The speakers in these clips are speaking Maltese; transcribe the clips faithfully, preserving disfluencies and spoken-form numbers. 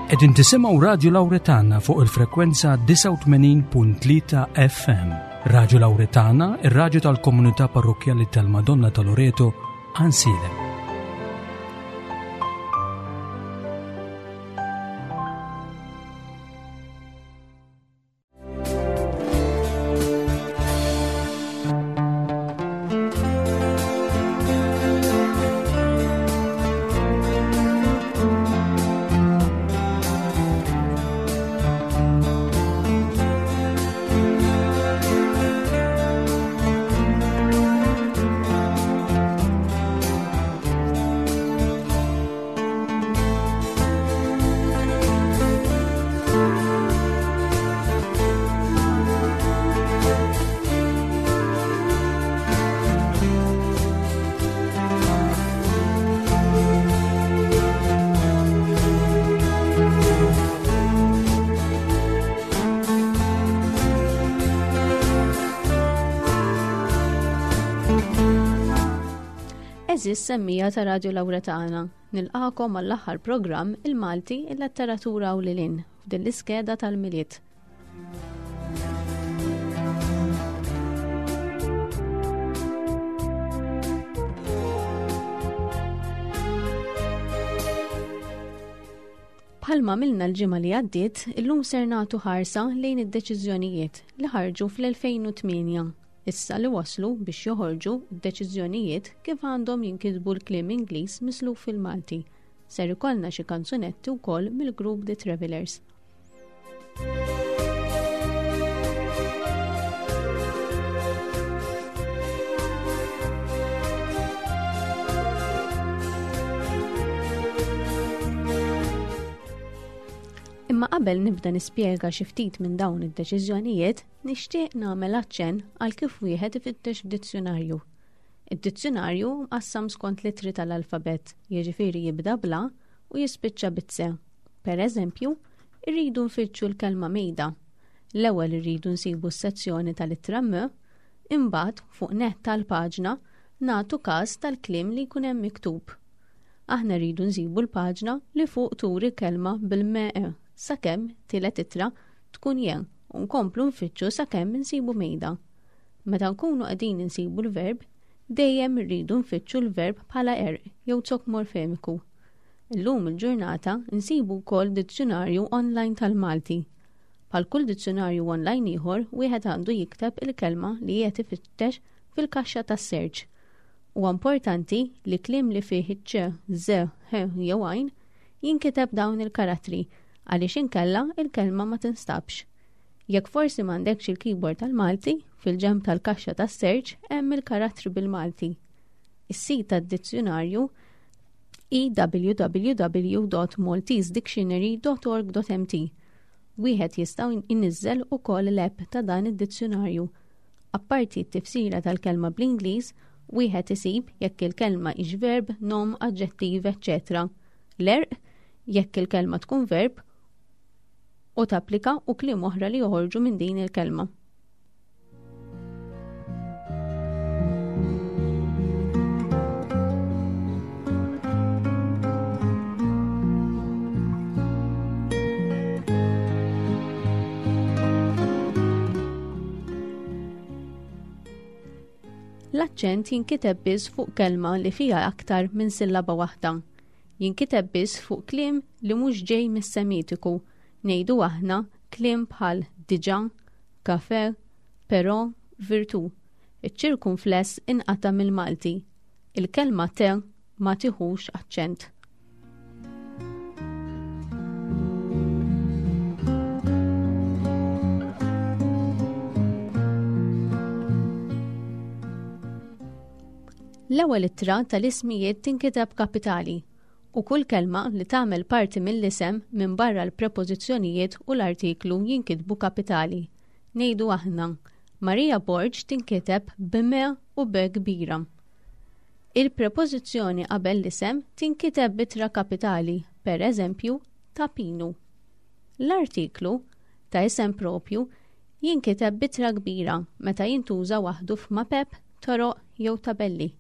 Qegħdin tisimgħu Radio Lauretana fuq il-frekwenza disgħa u tmenin punt tlieta F M. Radio Lauretana, ir-radju tal-Komunità Parrokkjali tal-Madonna ta' Loreto, Għajnsielem. Għeżież semmiegħa ta' Radio Lauretana, nilqagħkom għall-aħħar programm Il-Malti, il-Letteratura u lil hinn f'din l-iskeda tal-Milied. Bħalma għamilna l-ġimgħa li għaddiet, illum ser nagħtu ħarsa lejn id-deċiżjonijiet li ħarġu fl-elfejn u tmienja. Issa li waslu biex joħorġu deċiżjonijiet kif għandhom jinkitbu l-kliem Ingliż misluf fil-Malti. Ser ikollna xi kanzunetti wkoll mill-grupp The Travelers. Imma qabel nibda nispjega xi ftit minn dawn id-deċiżjonijiet, nixtieq nagħmel aċċenn għal kif wieħed ifittex f'dizzjonarju. Id-dizzjonarju mqassam skont l-ittri tal-alfabet, jiġifieri jibda bl-A u jispiċċa bit-C. Per eżempju, irridu nfittxu l-kelma mejda. L-ewwel irridu nsibu s-sezzjoni tal-ittra M, imbagħad fuq nett tal-paġna nagħtu każ tal-kliem li jkun hemm miktub. Aħna rridu nsibu l-paġna li fuq turi kelma bil-M E sakemm tielet ittra tkun je u nkomplu nfittxu sakemm insibu mejda. Meta nkunu qegħdin insibu l-verb, dejjem irridu nfittxu l-verb bħala għerq jew zokk morfemiku. Illum il-ġurnata nsibu wkoll dizzjonarju online tal-Malti. Bħal kull dizzjonarju online ieħor, wieħed għandu jikteb il-kelma li qed ifittex fil-kaxxa tas-search. Huwa importanti li kliem li fih ċ, z, h jew għajn jinkiteb dawn il-karattri għaliex inkella il-kelma ma tinstabx. Jekk forsi m'għandekx il-keyboard tal-Malti, fil-ġenb tal-kaxxa tas-search hemm il-karattri bil-Malti. Is-sit tad-dizzjonarju w w w dot maltesedictionary dot org dot m t. Wieħed jista' jniżżel ukoll l-app ta' dan id-dizzjonarju. Apparti t-tifsira tal-kelma bl-Ingliż, wieħed isib jekk il-kelma hix verb, nom, aġġettiv, eċċetera. L-għerq, jekk il-kelma tkun verb, u tapplika u kliem oħra li joħorġu minn din il-kelma. L-aċċent jinkiteb biss fuq kelma li fiha aktar minn sillaba waħda. Jinkiteb biss fuq kliem li mhux ġej mis-Semitiku, ngħidu aħna kliem bħal diġà, kafe, però, virtù. Iċ-ċirkunfless inqata' mill-Malti. Il-kelma te ma tiħux aċċent. L-ewwel ittra tal-ismijiet tinkiteb kapitali u kull kelma li tagħmel parti mill-isem minn barra l-prepożizzjonijiet u l-artiklu jinkitbu kapitali. Ngħidu aħna, Maria Borg tinkiteb b'M u B kbira. Il-prepożizzjoni qabel l-isem tinkiteb b'ittra kapitali, per eżempju, ta' Pinu. L-artiklu ta' isem propju jinkiteb b'ittra kbira meta jintuża waħdu f'mapep, toroq jew tabelli.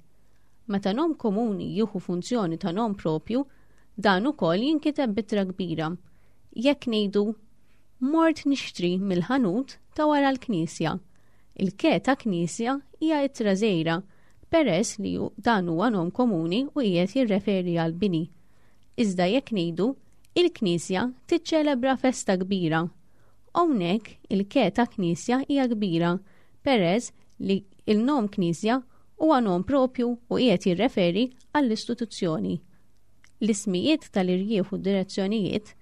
Meta nom komuni jieħu funzjoni ta' nom propju, dan ukoll jinkiteb b'ittra kbira. Jekk ngħidu mort nixtri mill-ħanut ta' wara l-knisja. Il-ke ta' knisja hija ittra żgħira peress li dan huwa nom komuni u qiegħed jirreferi għal bini. Iżda jekk ngħidu il-knisja tiċċelebra festa kbira. Hawnhekk il-ke ta' knisja hija kbira peress li il-nom knisja huwa nom propju u qiegħed jirreferi għall-istituzzjoni. L-ismijiet tal-irjieħ u direzzjonijiet,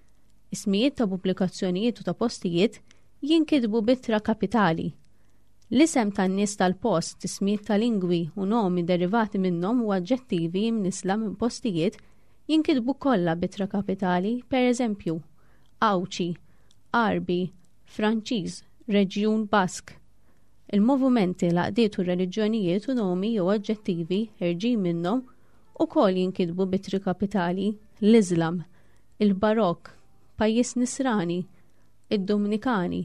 ismijiet ta' pubblikazzjonijiet u ta' postijiet jinkitbu b'ittra kapitali. L-isem tan-nies tal-post, ismijiet ta' lingwi u nomi derivati minnhom u aġġettivi mnisla minn postijiet jinkitbu kollha b'ittra kapitali, per eżempju, Għawdxi, Għarbi, Franċiż, Reġjun Bask. Il-movimenti, l-għaqdiet u reliġjonijiet u nomi jew aġġettivi ħerġin minnhom ukoll jinkitbu b'ittri kapitali, l-Iżlam, il-Barokk, pajjiż Nisrani, id-Dominikani.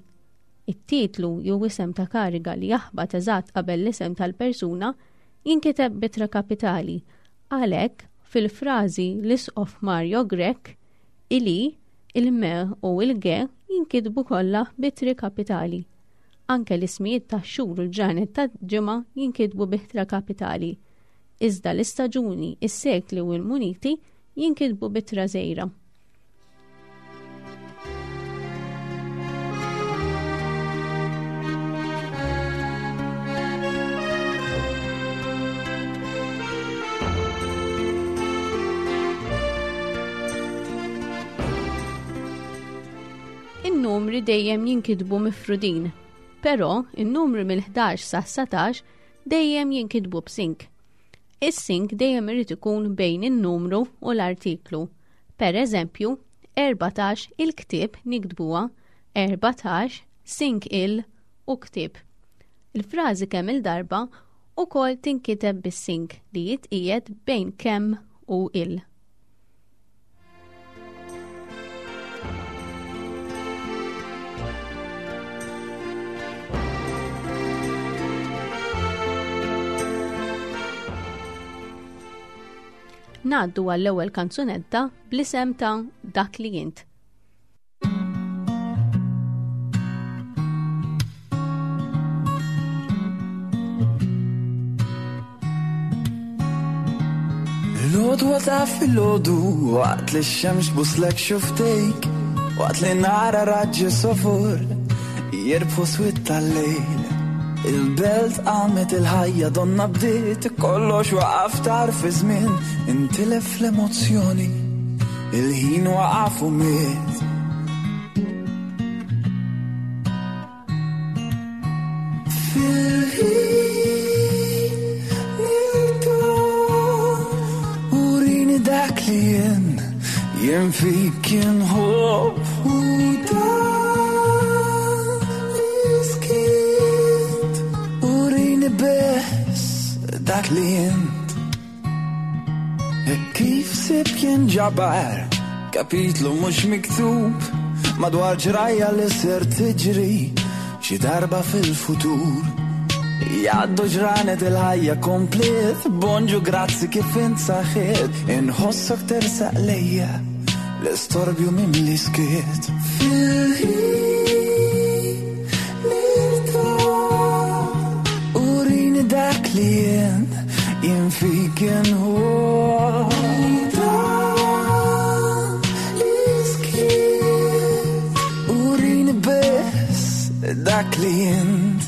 It-titlu jew isem ta' kariga li jaħbat eżatt qabel l-isem tal-persuna jinkiteb b'ittra kapitali. Għalhekk, fil-frażi l-Isqof Mario Grech, il-I, il-M u il-G jinkitbu kollha b'ittri kapitali. Anke l-ismijiet tax-xhur u l-ġranet ta' ġimgħa jinkitbu b'ittra kapitali. Iżda l-istaġuni, is-sekli u l-muniti jinkitbu b'ittra żgħira. In-numri dejjem jinkitbu mifrudin, però in-numri mill-ħdax sa satax dejjem jinkitbu b'sink. Is-sink dejjem irid ikun bejn in-numru u l-artiklu. Per eżempju, erbatax il-ktieb niktbuha erbatax sink il u ktieb. Il-frażi kemm il-darba ukoll tinkiteb bis-sink li jitqiegħed bejn kemm u il. Ngħaddu għall-ewwel kanzunetta bl-isem ta' Dak li Int. L-għodwa ta' filgħodu waqt li x-xemx tbuslek xuftejk, waqt li nara raġġi sofor jirbħu swit tal-lejl. Il-belt qamet il-ħajja donna bdiet, kollox waqaf tarf iż-żmien, intilef l-emozzjoni, il-ħin waqaf u miet. Fil-ħin nirtah, urini dak li jien, jien fik inħobb u dak dak li jint. Kif sib kien ġabar kapitlu mhux miktub madwar ġrajja li ser tiġri xi darba fil-futur. Jgħaddu ġranet il-ħajja komplet, bonġu grazzi kif int saħħiet, inħossok tersaq lejja l-istorbju mimli skiet. Fil-ħin nirtah, urini dak li jien, jien fik inħobb. Dan li skiet, urini biss dak li jint.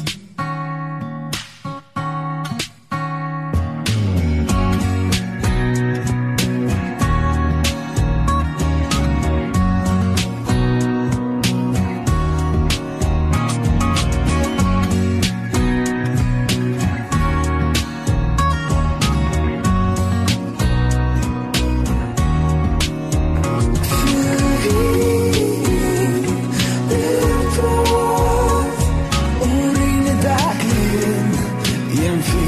Jien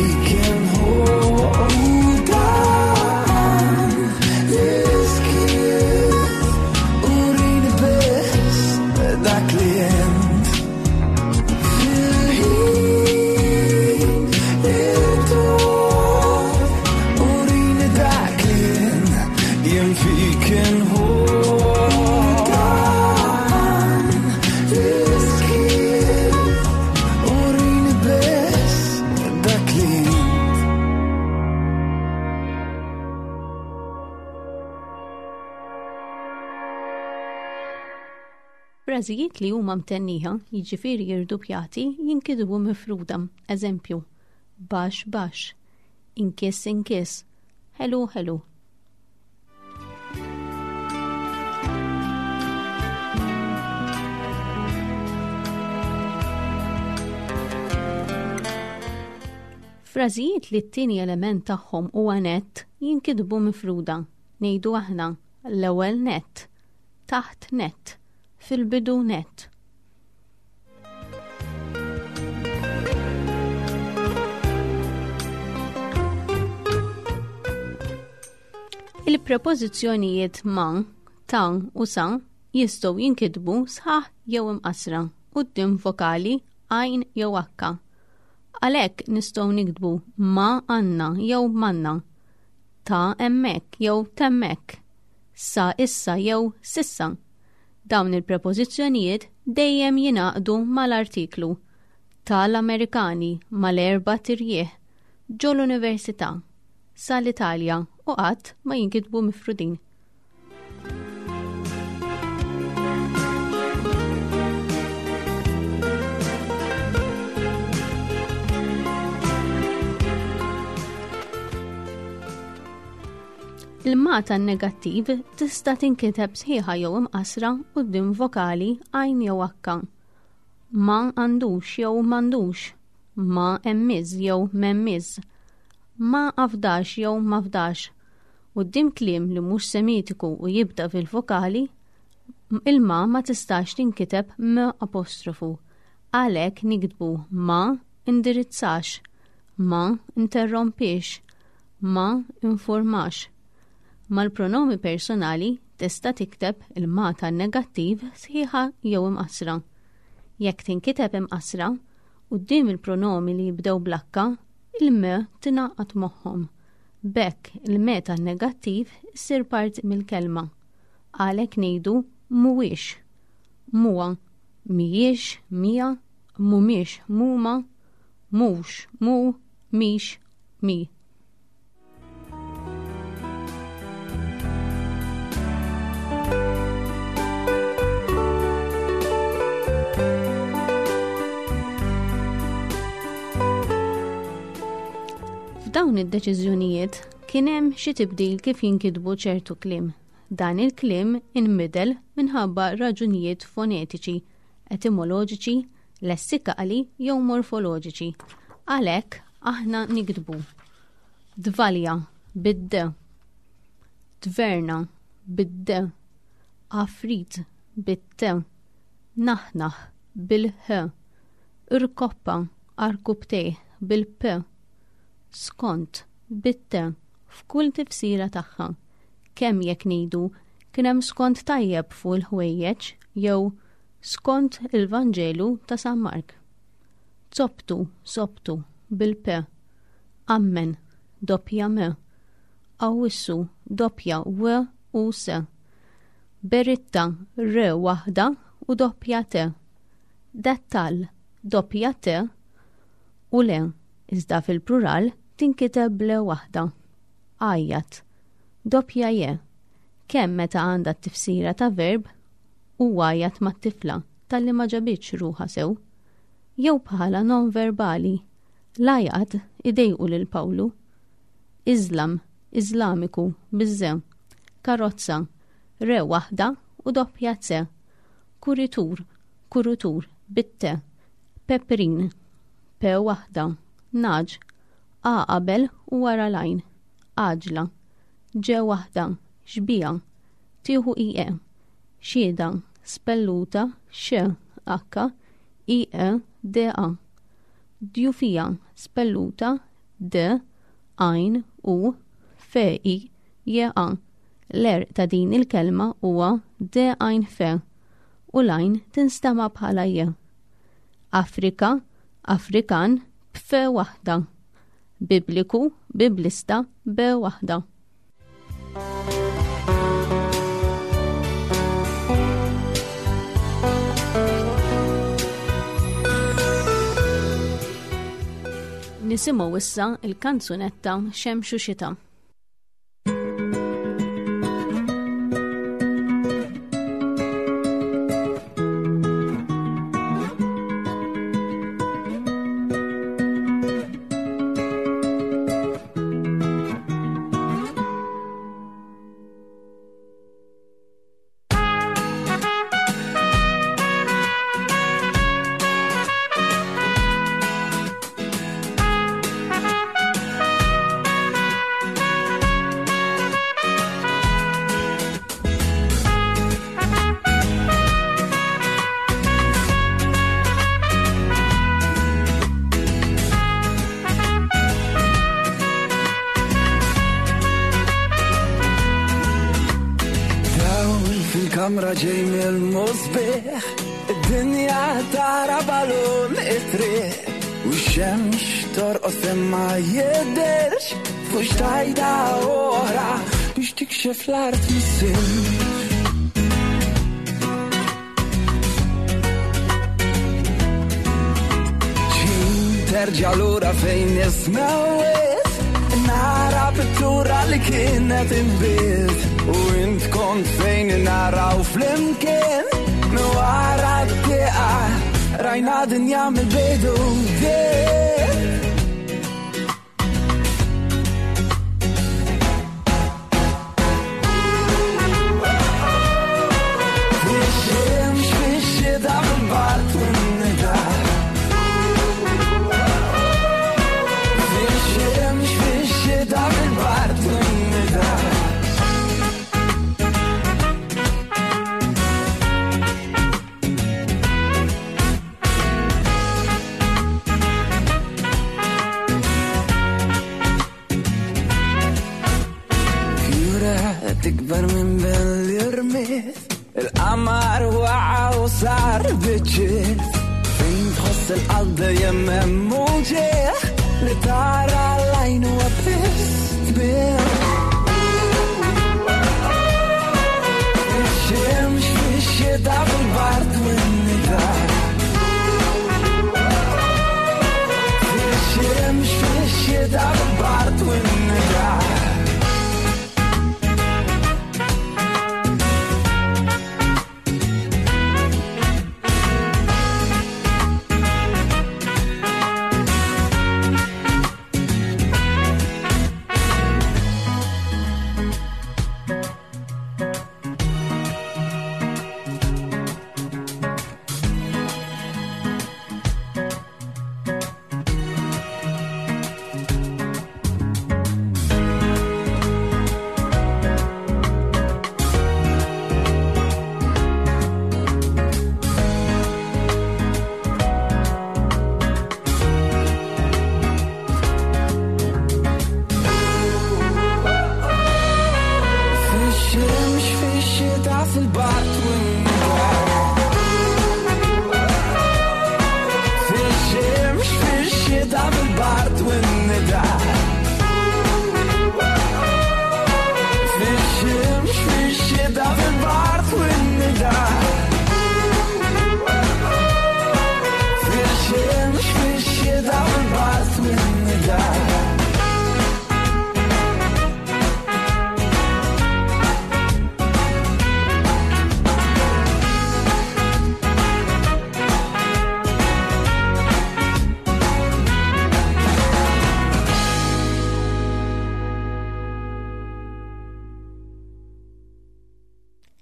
fik inħobb. Frażijiet li huma mtennija, jiġifieri jirdupjati, jinkitbu mifruda. Eżempju, baxx baxx, inkiss inkiss, ħelu ħelu. Frażijiet li t-tieni element tagħhom huwa nett jinkitbu mifruda. Ngħidu aħna l-ewwel nett, taħt nett, fil-bidu nett. Il-prepożizzjonijiet ma, ta' u sa jistgħu jinkitbu sħaħ jew imqassra quddiem vokali għajn jew akka. Għalhekk nistgħu niktbu ma għandna jew manna, ta' hemmhekk jew t'hemmhekk, sa issa jew s'issa. Dawn il-prepożizzjonijiet dejjem jingħaqdu mal-artiklu tal-Amerikani mal-erba' tirjieħ ġol-università sal-Italja u qatt ma jinkitbu mifrudin. Il-ma tan-negattiv tista' tinkiteb sħiħa jew imqassra quddiem vokali għajn jew akka. Ma għandux jew m'għandux, ma hemmiż jew m'hemmiż, ma afdax jew m'afdax. Quddiem kliem li mhux semitiku u jibda fil-vokali, il-ma ma tistax tinkiteb m apostrofu. Għalhekk niktbu ma indirizzax, ma interrompix, ma informax. Mal-pronomi personali tista' tikteb il-ma tan-negattiv sħiħa jew imqassra. Jekk tinkiteb imqassra, quddiem il-pronomi li jibdew bl-akka, il-m tingħaqad magħhom. B'hekk il-m tan-negattiv issir parti mill-kelma. Għalhekk ngħidu mhuwiex, muwa, mhijiex, mija, mhumiex, mhuma, mhux, mu, mhix, mi. F'dawn id-deċiżjonijiet kien hemm xi tibdil kif jinkitbu ċertu kliem. Dan il-kliem inbidel minħabba raġunijiet fonetiċi, etimoloġiċi, lessikali jew morfoloġiċi. Għalhekk aħna niktbu dvalja bid-d, dverna bid-d, afrit bit-t, naħnaħ bil-h, irkoppa arkubtejh bil-p, skont bit-t f'kull tifsira tagħha, kemm jekk ngħidu kien hemm skont tajjeb fuq il-ħwejjeġ jew skont il-Vanġelu ta' San Mark. Zoptu, soptu, bil-p, ammen, doppja m, awissu, doppja w u s, beritta, r waħda u doppja t, dettal, doppja t u le, iżda fil-plural tinkiteb ble waħda. Għajjat, doppja je, kemm meta għandha t-tifsira ta' verb u għajjat mat-tifla talli ma ġabitx ruħha sew, jew bħala non-verbali, l-għajat idejqu lil Pawlu. Iżlam, Iżlamiku, biż-ze, karozza, re waħda u doppja C, kuritur, kurutur, bit-te, peprin, pe waħda, naġ, a qabel u wara l-għajn, għaġla, ġe waħda, xbija, tieħu I E, xieda, spelluta, x, H, I E, D A, djufija, spelluta, D, għajn, U, F, I, J A. L-er ta' din il-kelma huwa D għajn F u l-għajn tinstama' bħala J. Afrika, Afrikan, b'F waħda. Bibliku, biblista, B waħda. Nisimgħu issa il-kanzunetta Xemx u Xita. Kamra ġej mill-musbieħ, id-dinja tara balun it-triq. U x-xemx torqod fejn ma jidhirx, fuq xtajta oħra biex tikxef l-art mis-silġ. Terġa' lura fejn nismewet, nara pittura li kienet inbiet. U int kont fejn naraw flimkien, minn wara t-tieqa rajna dinja mill-bidu. Fix-xemx, fix-xita, fil-bard u n-nida. Fix-xemx, fix-xita, fil-bard u n-nida. Tikber minn bel irmiet, il-qamar waqa u sar biċċiet. Fejn tħoss il-qalb dejjem hemm uġigħ, li tara l-għajn huwa biss tbieħ. Fix-xemx, fix-xita, fil-bard u n-nida. Fix-xemx, fix-xita, fil-bard u n-nida.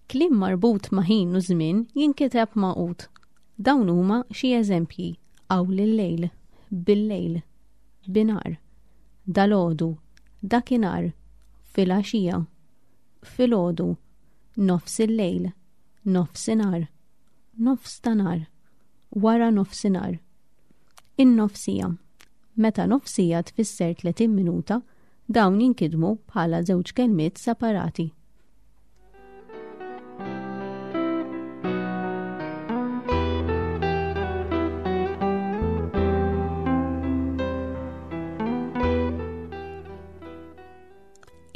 Kliem marbut ma' ħin u żmien jinkiteb magħqud. Dawn huma xi eżempji: hawn il-lejl, bil-lejl, binar, dalgħodu, dakinhar, filgħaxija, filgħodu, nofs il-lejl, nofsinhar, nofs ta' nhar, wara nofsinhar. In-nofsija. Meta nofsija tfisser tletin minuta, dawn jinkitbu bħala żewġ kelmiet separati.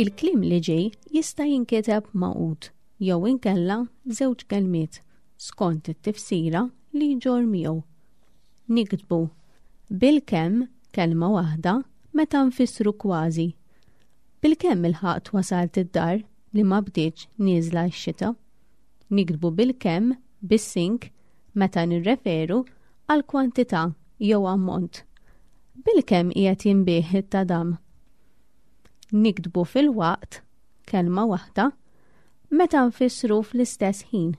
Il-kliem li ġej jista' jinkiteb magħqud jew inkella żewġ kelmiet skont it-tifsira li jġorr miegħu. Niktbu bil-kemm kelma waħda meta nfissru kważi. Bil-kemm ilħaqt wasalt id-dar li ma bdietx nieżla x-xita. Niktbu bil-kemm bis-sink meta nirreferu għal kwantità jew ammont. Bil-kemm qiegħed jinbiegħ it-tadam. Niktbu fil-waqt, kelma waħda, meta nfissru fl-istess ħin.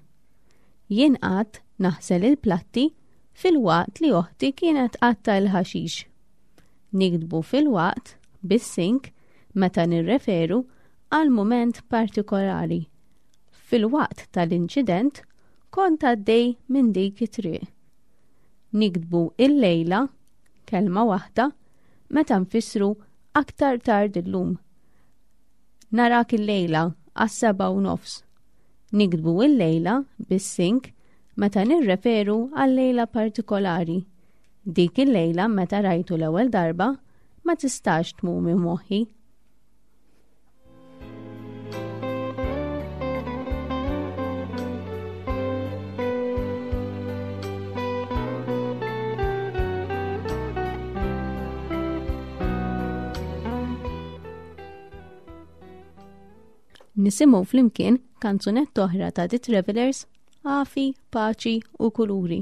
Jien qatt naħsel il-platti fil-waqt li oħti kienet qatta l-ħaxix. Niktbu fil-waqt bis-sink meta nirreferu għal mument partikolari. Fil-waqt tal-inċident kont għaddej minn dik it-triq. Niktbu il-lejla, kelma waħda, meta nfissru aktar tard illum. Narak il-lejla għas-seba' u nofs. Niktbu il-lejla bis-sing meta nirreferu għal lejla partikolari. Dik il-lejla meta rajtu l-ewwel darba ma tistax tmur minn moħħi. Nisimgħu flimkien kanzunetta oħra ta' The Travelers, Għafi, Paċi u Kuluri.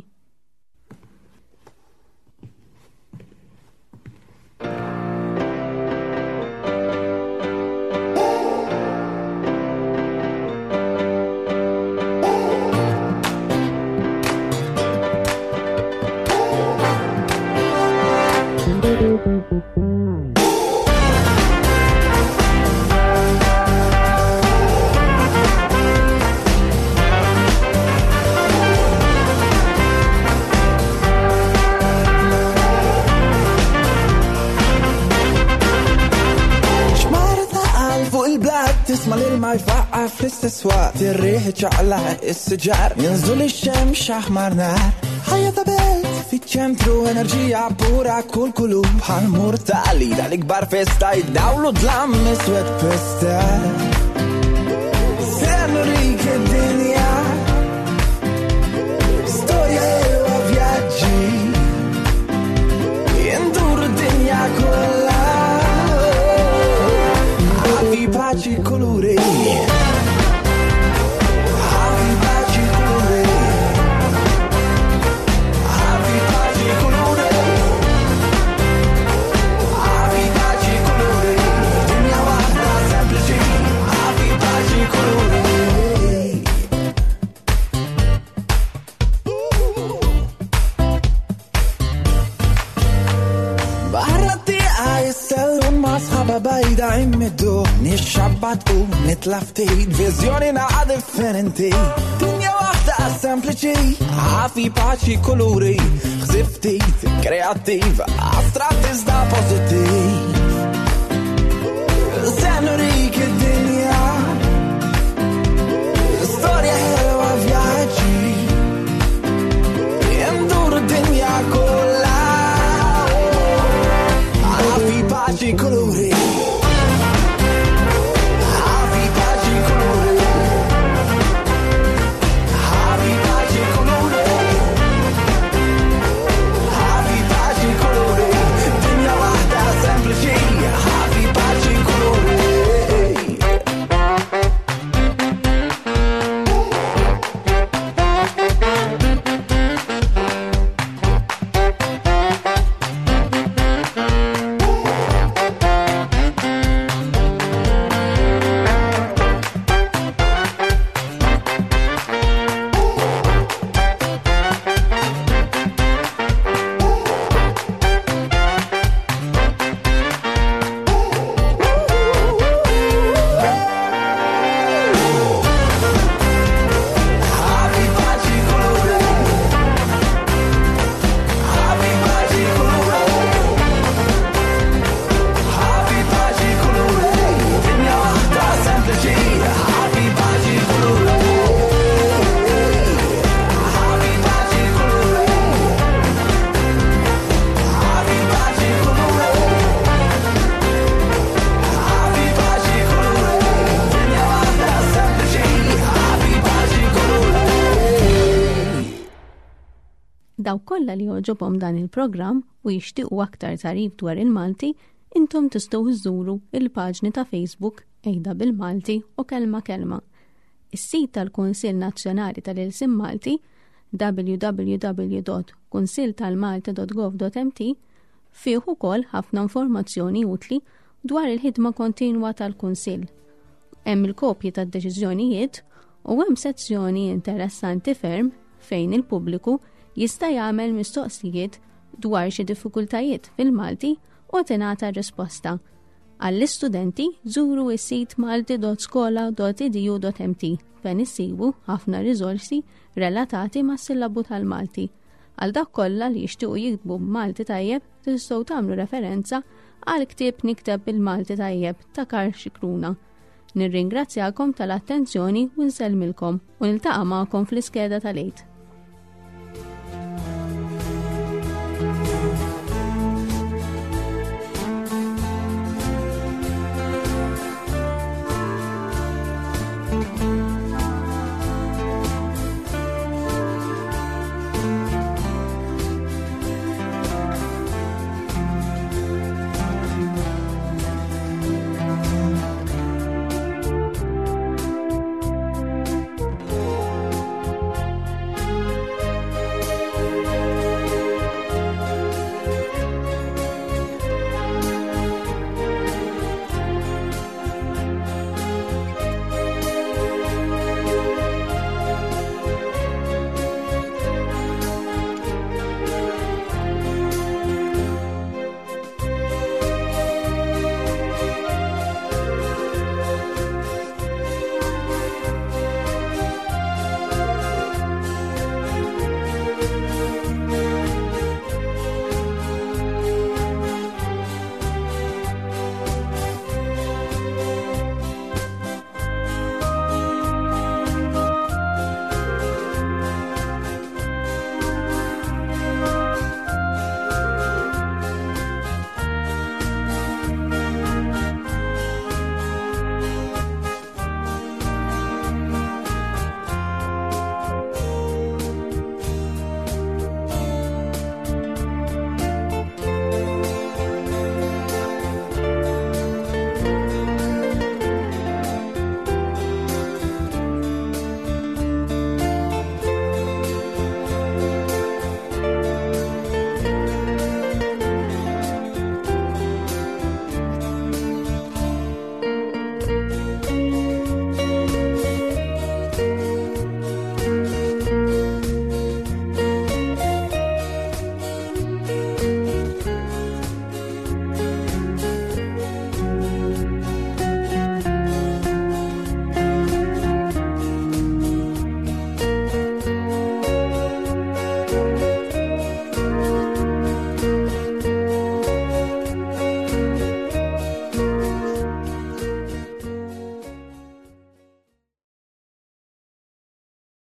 Tisma' l-ilma jfaqqa fl-istess waqt, ir-riħ iċaqlaq is-siġar, jinżlu lix-xemx aħmar nar. Ħajja ta' belt fiċ-ċentru, enerġija pura kull kulur, bħal murtali dal-ikbar festa jdawlu dlam iswed pesta. Se nurik id-dinja, storja ħelwa vjaġġi, jinduru d-dinja kollha. Avi paċi kuluri, avi paċi kuluri, avi paċi kuluri, avi paċi kuluri, dinja waħda sempliċi, avi paċi kuluri. Barra t-tieqa jissellum ma' sħaba bajda immiddu, nixxabbat u nitla ftit, viżjoni naqa differenti. Dinja waħda sempliċi, għafi paċi kuluri, ħsib ftit, kreattiv, astratt iżda pożittiv. Se nurik id-dinja, storja ħelwa vjaġġi, nduru d-dinja kollha. Għafi paċi kuluri, avi paċi kuluri, avi paċi kuluri, avi paċi kuluri, dinja waħda sempliċi, avi paċi kuluri. Avi paċi kuluri, avi paċi kuluri, avi paċi kuluri, dinja waħda sempliċi, avi paċi kuluri, avi paċi kuluri, avi paċi kuluri, avi paċi kuluri, dinja waħda sempliċi, avi paċi kuluri. Dawk kollha li jogħġobhom dan il-programm u jixtiequ aktar tagħrif dwar il-Malti, intom tistgħu żżuru il-paġni ta' Facebook Ejda bil-Malti u Kelma Kelma. Is-sit tal-Kunsill Nazzjonali tal-Ilsien Malti w w w dot kunsill tal malti dot gov dot m t fih ukoll ħafna informazzjoni utli dwar il-ħidma kontinwa tal-Kunsill. Hemm il-kopji tad-deċiżjonijiet u hemm sezzjoni interessanti ferm fejn il-pubbliku jista' jagħmel mistoqsijiet dwar xi diffikultajiet fil-Malti u tingħata risposta. Għall-istudenti żuru s-sit malti dot skola dot e d u dot m t fejn issibu ħafna riżorsi relatati mas-sillabu tal-Malti. Għal dak kollha li jixtiequ jiktbu b'Malti tajjeb tistgħu tagħmlu referenza għal ktieb Nikteb bil-Malti tajjeb ta' Karl Scicluna. Nirringrazzjakom tal-attenzjoni u nsellmilkom u niltaqa' magħkom fl-iskeda tal-Għid.